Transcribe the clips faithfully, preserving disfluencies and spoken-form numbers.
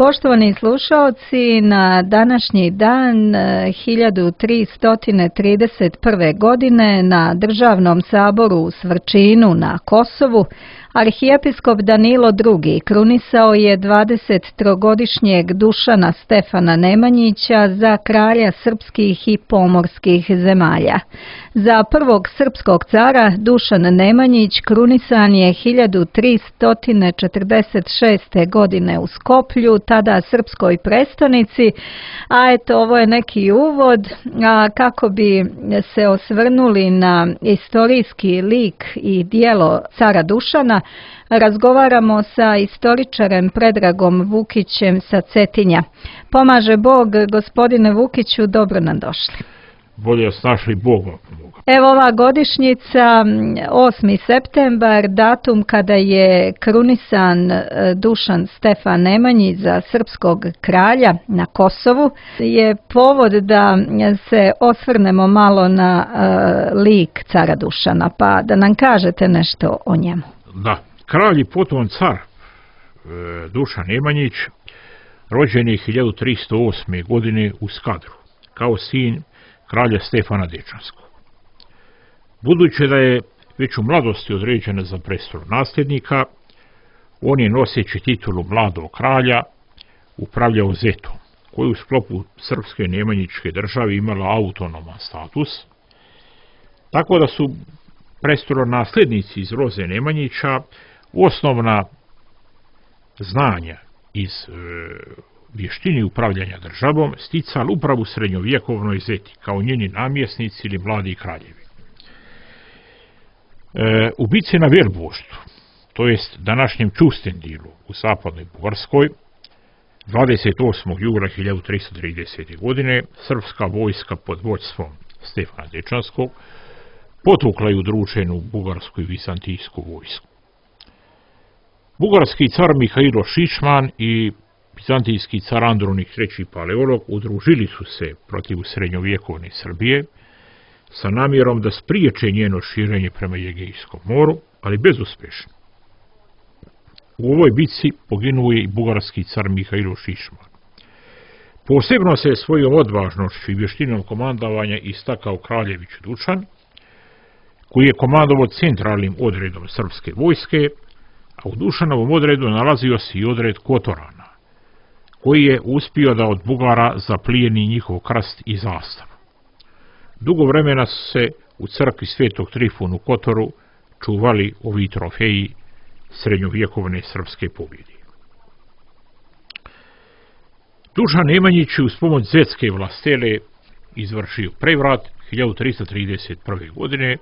Poštovani slušaoci, na današnji dan hiljadu tristo trideset prve. godine na Državnom saboru u Svrčinu na Kosovu arhijepiskop Danilo drugi. krunisao je dvadesettrogodišnjeg Dušana Stefana Nemanjića za kralja srpskih i pomorskih zemalja. Za prvog srpskog cara Dušan Nemanjić krunisan je hiljadu tristo četrdeset šeste. godine u Skoplju, tada srpskoj prestonici, a eto ovo je neki uvod, a kako bi se osvrnuli na istorijski lik i djelo cara Dušana, razgovaramo sa istoričarem Predragom Vukićem sa Cetinja. Pomaže Bog, gospodine Vukiću, dobro nam došli. Bolje snašli Bogom. Evo ova godišnjica, osmi septembar, datum kada je krunisan Dušan Stefan Nemanjić za srpskog kralja na Kosovu, je povod da se osvrnemo malo na uh, lik cara Dušana, pa da nam kažete nešto o njemu. Da, kralj i potom car e, Dušan Nemanjić rođen je hiljadu tristo osme. godine u Skadru, kao sin kralja Stefana Dečanskog. Budući da je već u mladosti određena za prestol nasljednika, on je noseći titulu mladog kralja upravljao Zetom, koji u sklopu srpske nemanjičke države imala autonoman status, tako da su prestolonasljednici iz roze Nemanjića osnovna znanja iz e, vještini upravljanja državom sticali upravo u srednjovjekovnoj Zeti, kao njeni namjesnici ili mladi kraljevi. E, u bici na Velboštu, to jest današnjem Čustendilu u zapadnoj Bugarskoj, dvadeset osmog jula hiljadu tristo tridesete. godine, srpska vojska pod vođstvom Stefana Dečanskog potukla je udruženu bugarsku i vizantijsku vojsku. Bugarski car Mihajlo Šišman i vizantijski car Andronik treći. Paleolog udružili su se protiv srednjovjekovne Srbije sa namjerom da spriječe njeno širenje prema Egejskom moru, ali bezuspješno. U ovoj bitci poginuo je i bugarski car Mihajlo Šišman. Posebno se svojom odvažnošću i vještinom komandovanja istakao kraljević Dušan, koji je komandovao centralnim odredom srpske vojske, a u Dušanovom odredu nalazio se i odred Kotorana, koji je uspio da od Bugara zaplijeni njihov krst i zastavu. Dugo vremena su se u crkvi Svetog Trifuna u Kotoru čuvali ovi trofeji srednjovjekovne srpske pobjede. Dušan Nemanjić uz pomoć zetske vlastele izvršio prevrat hiljadu tristo trideset prve. godine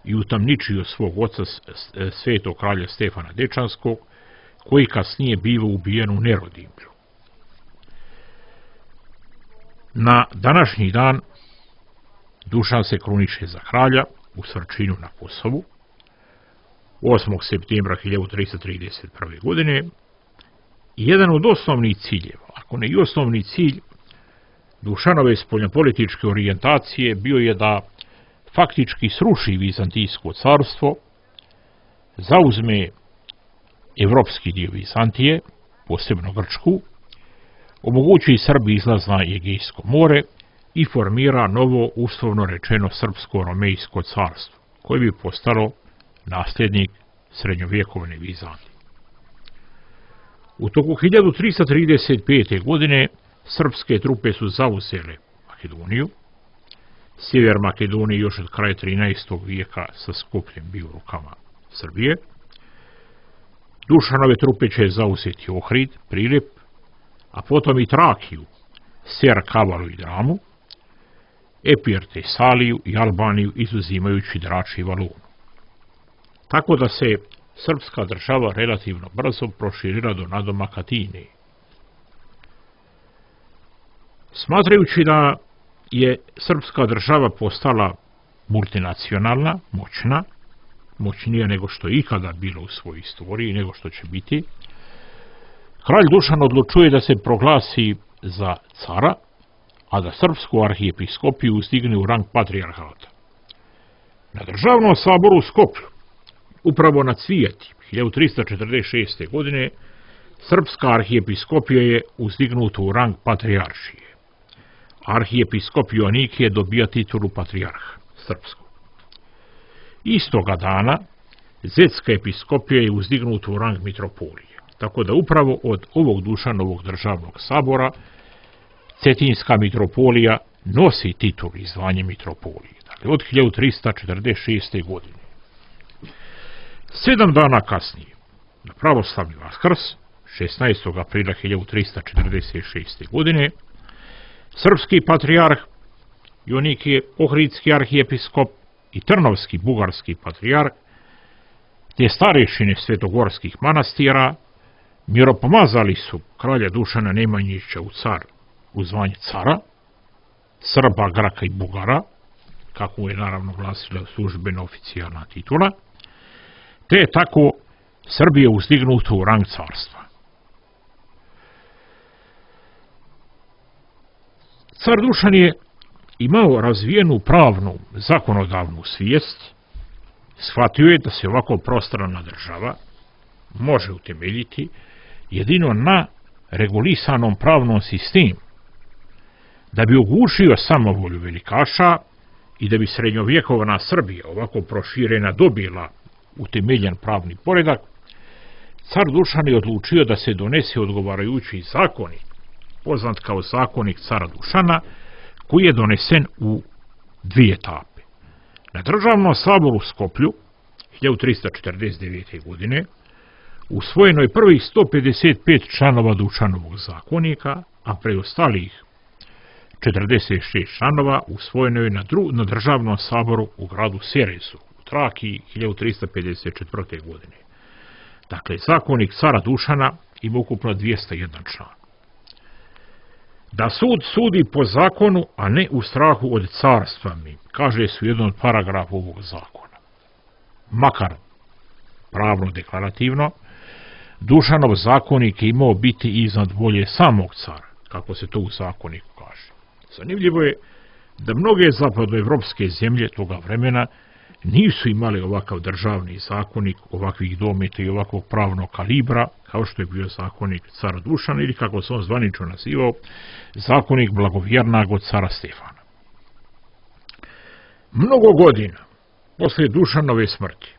i utamničio svog oca svetog kralja Stefana Dečanskog, koji kasnije biva ubijen u Nerodimlju. Na današnji dan Dušan se kruniše za kralja u Svrčinu na Kosovu osmog septembra hiljadu tristo trideset prve. godine i jedan od osnovnih ciljeva, ako ne i osnovni cilj Dušanove spoljnopolitičke orijentacije bio je da faktički sruši Vizantijsko carstvo, zauzme evropski dio Vizantije, posebno Grčku, omogući Srbiji izlaz na Egejsko more i formira novo, uslovno rečeno, srpsko-romejsko carstvo, koje bi postalo nasljednik srednjovjekovne Vizantije. U toku hiljadu tristo trideset pete. godine srpske trupe su zauzele Makedoniju. Sjever Makedonije još od kraja trinaestog. vijeka sa Skopljem bio u rukama Srbije. Dušanove trupe će zauzeti Ohrid, Prilep, a potom i Trakiju, Ser, Kavalu i Dramu, Epir, Tesaliju i Albaniju, izuzimajući Drač i Valonu. Tako da se srpska država relativno brzo proširila do nadomaka Tine. Smatrajući da je srpska država postala multinacionalna, moćna, moćnija nego što je ikada bilo u svojoj istoriji, nego što će biti, kralj Dušan odlučuje da se proglasi za cara, a da srpsku arhijepiskopiju uzdigne u rang patrijarhata. Na državnom saboru u Skoplju, upravo na Cvijeti, hiljadu tristo četrdeset šeste. godine, Srpska arhijepiskopija je uzdignuta u rang patrijaršije. Arhijepiskop Joanikije dobija titulu patrijarha srpskog. Istoga dana Zetska episkopija je uzdignuta u rang mitropolije, tako da upravo od ovog Dušanovog državnog sabora Cetinska mitropolija nosi titulu i zvanje mitropolije, dakle od hiljadu trista četrdeset šeste. godine. Sedam dana kasnije, na pravoslavni Vaskrs, šesnaestog aprila hiljadu trista četrdeset šeste. godine, srpski patrijarh Joanikije, ohridski arhijepiskop i trnovski bugarski patrijarh, te starešine svetogorskih manastira miropomazali su kralja Dušana Nemanjića u car u zvanje cara, Srba, Graka i Bugara, kako je naravno glasila službena oficijalna titula, te je tako Srbija uzdignuta u rang carstva. Car Dušan je imao razvijenu pravnu zakonodavnu svijest, shvatio je da se ovako prostrana država može utemeljiti jedino na regulisanom pravnom sistemu, da bi ogušio samovolju velikaša i da bi srednjovjekovna Srbija ovako proširena dobila utemeljen pravni poredak. Car Dušan je odlučio da se donese odgovarajući zakonik, poznat kao zakonik cara Dušana, koji je donesen u dvije etape. Na državnom saboru u Skoplju hiljadu trista četrdeset devete. godine usvojeno je prvih sto pedeset pet članova Dušanovog zakonika, a preostalih četrdeset šest članova usvojeno je na, dru, na državnom saboru u gradu Serezu u Trakiji hiljadu trista pedeset četvrte. godine. Dakle, zakonik cara Dušana ima ukupno dvjesto jedan član. Da sud sudi po zakonu, a ne u strahu od carstva mi, kaže se u jednom od paragrafa ovog zakona. Makar pravno deklarativno, Dušanov zakonik je imao biti iznad volje samog cara, kako se to u zakoniku kaže. Zanimljivo je da mnoge zapadnoevropske zemlje toga vremena nisu imali ovakav državni zakonik, ovakvih dometa i ovakvog pravnog kalibra, kao što je bio zakonik cara Dušana ili, kako se on zvanično nazivao, zakonik blagovjernog od cara Stefana. Mnogo godina posle Dušanove smrti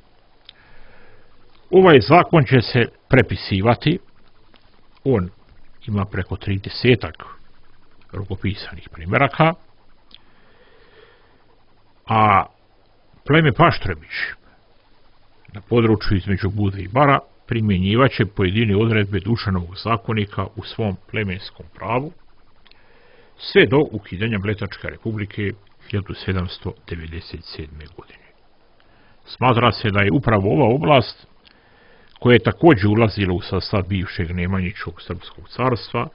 ovaj zakon će se prepisivati. On ima preko tridesetak rukopisanih primjeraka, a pleme Paštrebić na području između Budve i Bara primjenjivaće pojedine odredbe Dušanovog zakonika u svom plemenskom pravu, sve do ukidanja Mletačke republike hiljadu sedamsto devedeset sedme. godine. Smatra se da je upravo ova oblast, koja je također ulazila u sastav bivšeg Nemanjićevog srpskog carstva,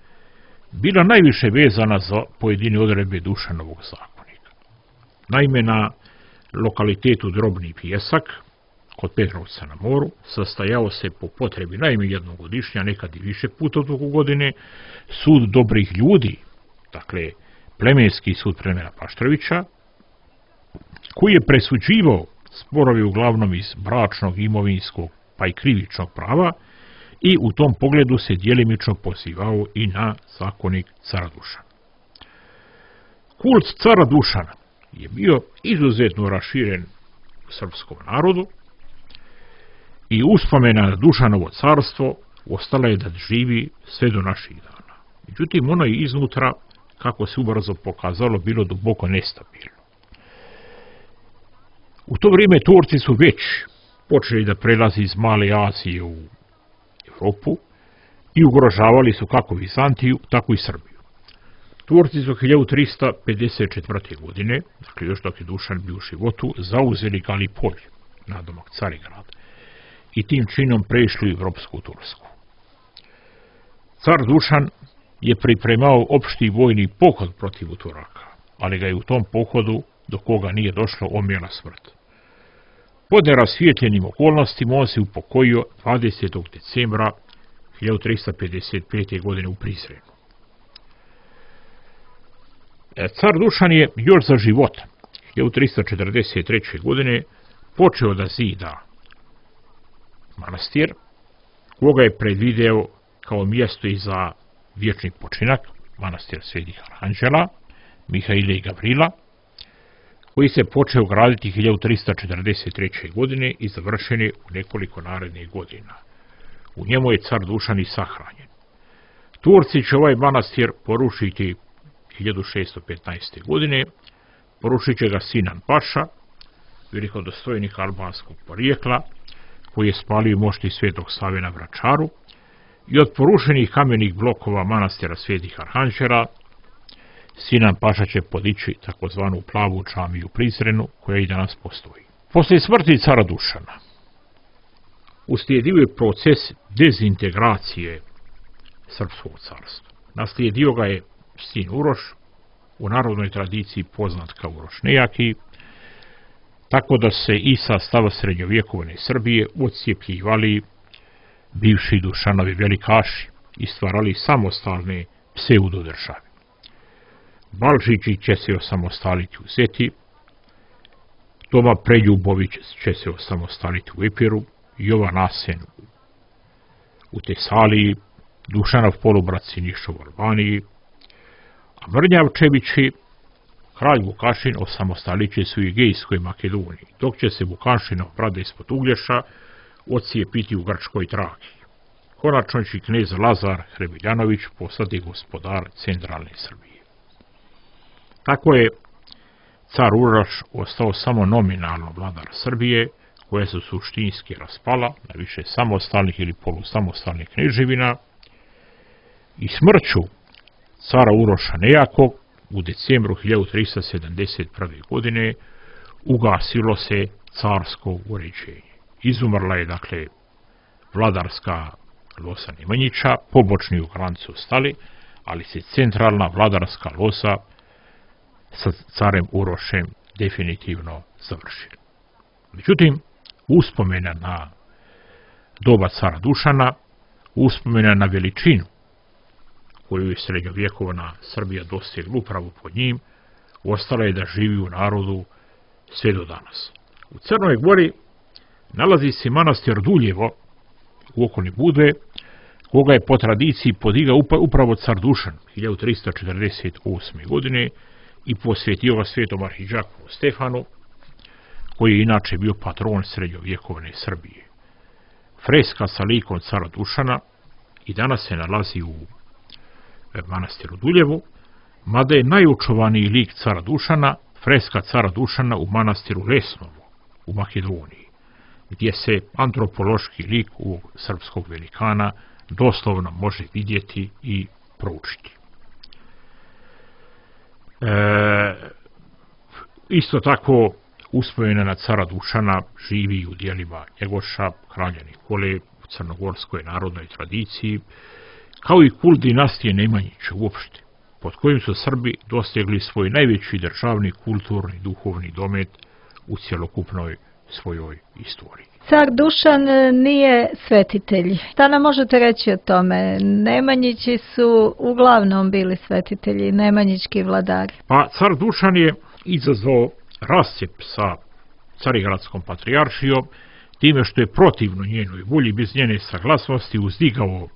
bila najviše vezana za pojedine odredbe Dušanovog zakonika. Naime, na lokalitetu Drobni Pjesak, kod Petrovca na moru, sastajao se po potrebi najme jednog godišnja, a nekad i više puta u toku godine, sud dobrih ljudi, dakle plemenski sud plemena Paštrevića, koji je presuđivao sporovi uglavnom iz bračnog, imovinskog pa i krivičnog prava i u tom pogledu se djelimično pozivao i na zakonik cara Dušana. Kult cara Dušana je bio izuzetno raširen u srpskom narodu i uspomena na Dušanovo carstvo ostala je da živi sve do naših dana. Međutim, ono je iznutra, kako se ubrzo pokazalo, bilo duboko nestabilno. U to vrijeme Turci su već počeli da prelazi iz Male Azije u Evropu i ugrožavali su kako Vizantiju, tako i Srbiju. Turci su hiljadu trista pedeset četvrte. godine, dakle još dok je Dušan bio u životu, zauzeli Galipolj, nadomak Carigrad, i tim činom prešli u Evropsku Tursku. Car Dušan je pripremao opšti vojni pohod protiv Turaka, ali ga je u tom pohodu, do koga nije došlo, omjela smrt. Pod nerasvijetljenim okolnostima on se upokojio dvadesetog decembra hiljadu trista pedeset pete. godine u Prizrenu. Car Dušan je još za života hiljadu trista četrdeset treće. godine počeo da zida manastir, koga je predvideo kao mjesto i za vječni počinak, manastir Svetih Aranđela, Mihaila i Gavrila, koji se počeo graditi hiljadu trista četrdeset treće. godine i završen je u nekoliko narednih godina. U njemu je car Dušan i sahranjen. Turci će ovaj manastir porušiti hiljadu šesto petnaeste. godine, porušit će ga Sinan Paša, velikodostojnik albanskog porijekla, koji je spalio mošti Svetog Save na Vračaru, i od porušenih kamenih blokova manastira Svetih Arhanđela Sinan Paša će podići takozvanu plavu džamiju u Prizrenu, koja i danas postoji. Poslije smrti cara Dušana uslijedio je proces dezintegracije srpskog carstva. Naslijedio ga je sin Uroš, u narodnoj tradiciji poznat kao Uroš Nejaki, tako da se i sa stava srednjovjekovne Srbije odcijepljivali bivši Dušanovi velikaši i stvarali samostalne pseudodržave. Balžići će se osamostaliti u Zeti, Toma Preljubović će se osamostaliti u Epiru, Jovan Asen u Tesaliji, Dušanov polubrat Sinišov u Albaniji, a Mrnjavčevići, kralj Vukašin, osamostalit će se u Egejskoj Makedoniji, dok će se Vukašinov brada ispod Uglješa odcijepiti u Grčkoj Traki. Konačno će knez Lazar Hrebiljanović postati gospodar centralne Srbije. Tako je car Uroš ostao samo nominalno vladar Srbije, koja se suštinski raspala na više samostalnih ili polusamostalnih kneževina, i smrću cara Uroša Nejakog u decembru hiljadu trista sedamdeset prve. godine ugasilo se carsko uređenje. Izumrla je, dakle, vladarska losa Nemanjića, pobočni ugranci ostali, ali se centralna vladarska losa sa carem Urošem definitivno završila. Međutim, uspomena na doba cara Dušana, uspomena na veličinu koju je srednjovjekovna Srbija dostigla upravo pod njim, ostala je da živi u narodu sve do danas. U Crnoj Gori nalazi se manastir Duljevo u okolini Budve, koga je po tradiciji podigao upravo car Dušan hiljadu trista četrdeset osme. godine i posvetio ga svetom arhidžaku Stefanu, koji je inače bio patron srednjovjekovne Srbije. Freska sa likom cara Dušana i danas se nalazi u manastiru Duljevu, mada je najočuvaniji lik cara Dušana freska cara Dušana u manastiru Lesnovu u Makedoniji, gdje se antropološki lik u srpskog velikana doslovno može vidjeti i proučiti. E, isto tako uspomena na cara Dušana živi u dijelima Njegoša, kralja Nikole, u crnogorskoj narodnoj tradiciji, kao i kult dinastije Nemanjića uopšte, pod kojim su Srbi dostigli svoj najveći državni, kulturni, duhovni domet u cjelokupnoj svojoj istoriji. Car Dušan nije svetitelj. Šta nam možete reći o tome? Nemanjići su uglavnom bili svetitelji, nemanjički vladari. Pa car Dušan je izazvao rascjep sa Carigradskom patrijaršijom time što je protivno njenoj volji, bez njene saglasnosti, uzdigao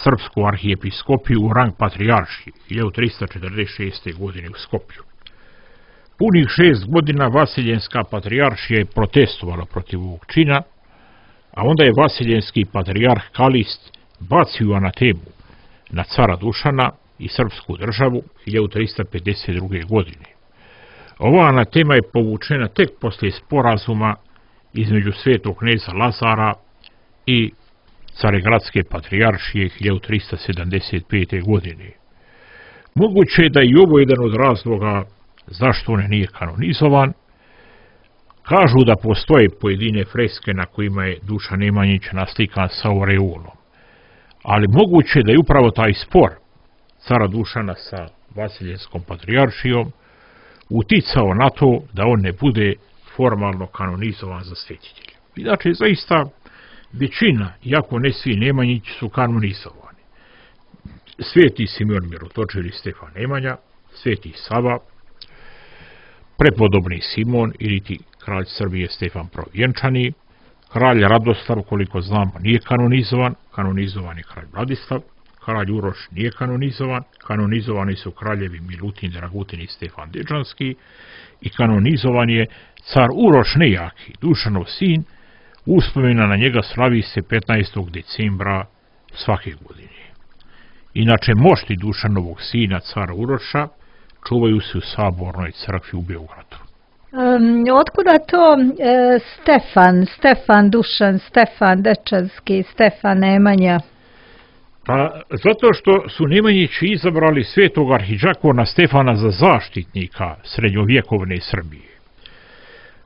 srpsku arhijepiskopiju u rang patrijaršije hiljadu trista četrdeset šeste. godine u Skopju. Punih šest godina Vasiljenska patrijaršija je protestovala protiv ovog čina, a onda je vasiljenski patrijarh Kalist bacio anatemu na cara Dušana i srpsku državu hiljadu trista pedeset druge. godine. Ova anatema je povučena tek poslije sporazuma između svetog kneza Lazara i Carigradske patrijaršije hiljadu trista sedamdeset pete. godine. Moguće je da i ovo jedan od razloga zašto on nije kanonizovan. Kažu da postoje pojedine freske na kojima je Dušan Nemanjić naslikan sa oreolom, ali moguće je da je upravo taj spor cara Dušana sa Vasiljenskom patrijaršijom uticao na to da on ne bude formalno kanonizovan za svetitelja. Inače, zaista većina, iako ne svi Nemanjići, su kanonizovani. Sveti Simeon Mirotočili, Stefan Nemanja, Sveti Sava, prepodobni Simon ili ti kralj Srbije Stefan Provjenčani, Kralj Radoslav, koliko znamo, nije kanonizovan, kanonizovan je kralj Vladislav, kralj Uroš nije kanonizovan, kanonizovani su kraljevi Milutin, Dragutin i Stefan Dečanski i kanonizovan je car Uroš Nejaki, Dušanov sin, uspomena na njega slavi se petnaestog decembra svake godine. Inače, mošti Dušanovog sina, cara Uroša, čuvaju se u Sabornoj crkvi u Beogradu. Um, otkuda to e, Stefan, Stefan Dušan, Stefan Dečanski, Stefan Nemanja? Pa zato što su Nemanjići izabrali svetog arhidžakona Stefana za zaštitnika srednjovjekovne Srbije.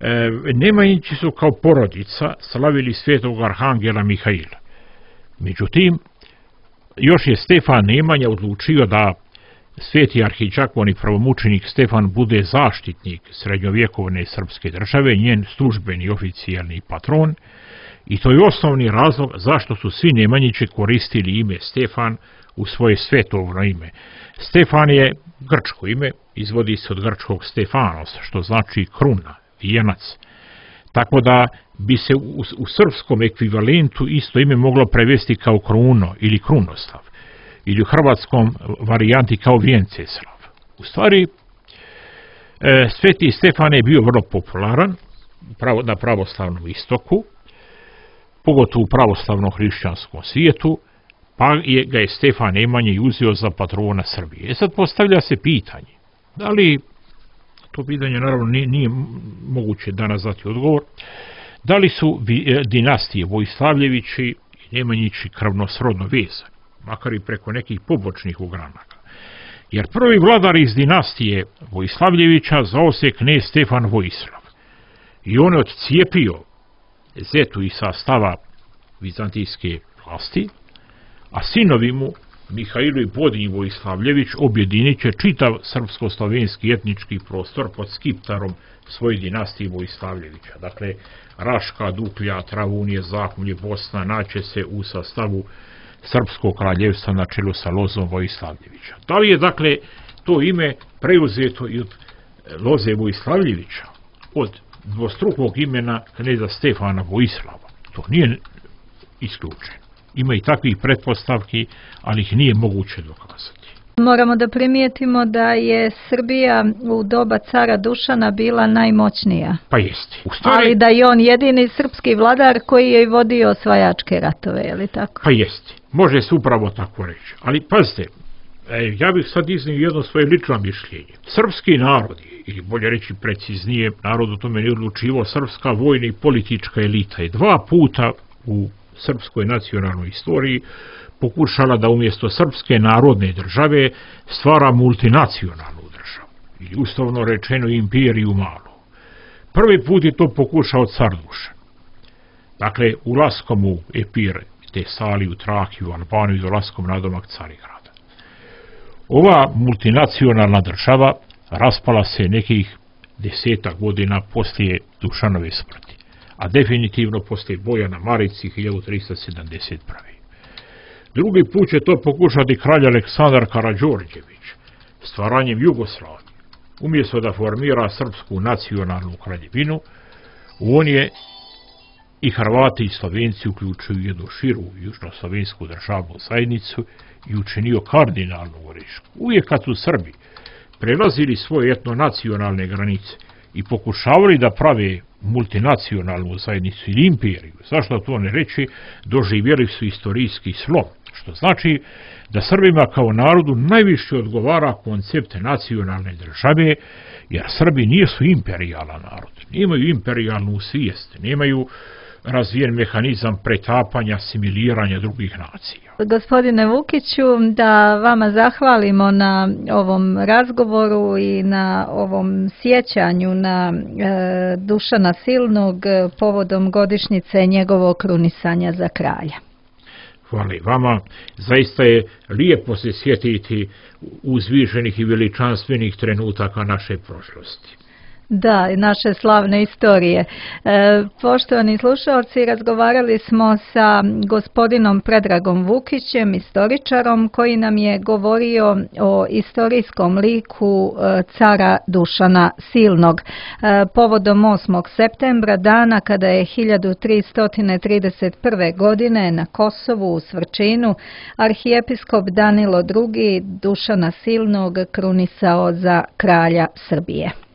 E, Nemanjići su kao porodica slavili svetog arhangela Mihaila. Međutim, još je Stefan Nemanja odlučio da sveti arhidžakon i pravomučenik Stefan bude zaštitnik srednjovjekovne srpske države, njen službeni oficijalni patron, i to je osnovni razlog zašto su svi Nemanjići koristili ime Stefan u svoje svetovno ime. Stefan je grčko ime, izvodi se od grčkog Stefanos, što znači kruna, vijenac. Tako da bi se u, u srpskom ekvivalentu isto ime moglo prevesti kao Kruno ili Krunoslav, ili u hrvatskom varijanti kao Vjenceslav. U stvari, e, sveti Stefan je bio vrlo popularan pravo, na pravoslavnom istoku, pogotovo u pravoslavnom hrišćanskom svijetu, pa je, ga je Stefan Nemanja uzeo za patrona Srbije. E sad postavlja se pitanje, da li, to pitanje naravno nije, nije moguće danas dati odgovor, da li su dinastije Vojslavljevići i Nemanjići krvno srodno vezani, makar i preko nekih pobočnih ogranaka. Jer prvi vladar iz dinastije Vojslavljevića zvao se knez Stefan Vojislav i on je odcijepio zetu iz sastava vizantijske vlasti, a sinovi mu Mihajlo i Podinji Vojslavljević objedinit će čitav srpsko-slovenski etnički prostor pod skiptarom svoje dinastije Vojslavljevića. Dakle, Raška, Duklja, Travunije, Zahumlje, Bosna naće se u sastavu srpskog kraljevstva na čelu sa Lozom Vojslavljevića. Da li je, dakle, to ime preuzeto i od Loze Vojslavljevića, od dvostrukog imena kneza Stefana Vojislava? To nije isključeno. Ima i takvih pretpostavki, ali ih nije moguće dokazati. Moramo da primijetimo da je Srbija u doba cara Dušana bila najmoćnija. Pa jeste. U stvari, ali da je on jedini srpski vladar koji je vodio osvajačke ratove, je li tako? Pa jeste. Može se upravo tako reći. Ali pazite, ja bih sad iznio jedno svoje lično mišljenje. Srpski narod, ili bolje reći preciznije, narod o tome ne odlučivo, srpska vojna i politička elita je dva puta u srpskoj nacionalnoj istoriji pokušala da umjesto srpske narodne države stvara multinacionalnu državu, ili uslovno rečeno imperiju malu. Prvi put je to pokušao car Dušan. Dakle, ulaskom u Epir, Tesaliju, Trakiju, Albaniju i dolaskom na domak Carigrada. Ova multinacionalna država raspala se nekih desetak godina poslije Dušanove smrti, a definitivno poslije boja na Marici hiljadu trista sedamdeset prve. Drugi put će to pokušati kralj Aleksandar Karađorđević stvaranjem Jugoslavije. Umjesto da formira srpsku nacionalnu kraljevinu, on je i Hrvati i Slovenci uključuju jednu širu južnoslovensku državnu zajednicu i učinio kardinalnu grešku. Uvijek kad su Srbi prelazili svoje etnonacionalne granice i pokušavali da prave multinacionalnu zajednicu ili imperiju, zašto to ne reći, doživjeli su istorijski slom, što znači da Srbima kao narodu najviše odgovara koncept nacionalne države, jer Srbi nisu imperijalan narod, nemaju imperijalnu svijest, nemaju razvijen mehanizam pretapanja, asimiliranja drugih nacija. Gospodine Vukiću, da vama zahvalimo na ovom razgovoru i na ovom sjećanju na e, Dušana Silnog povodom godišnjice njegovog krunisanja za kralja. Hvala i vama. Zaista je lijepo se sjetiti uzvišenih i veličanstvenih trenutaka naše prošlosti. Da, naše slavne istorije. E, poštovani slušalci, razgovarali smo sa gospodinom Predragom Vukićem, istoričarom, koji nam je govorio o istorijskom liku e, cara Dušana Silnog. E, povodom osmog septembra, dana kada je hiljadu tristo trideset prve. godine na Kosovu u Svrčinu arhijepiskop Danilo drugi. Dušana Silnog krunisao za kralja Srbije.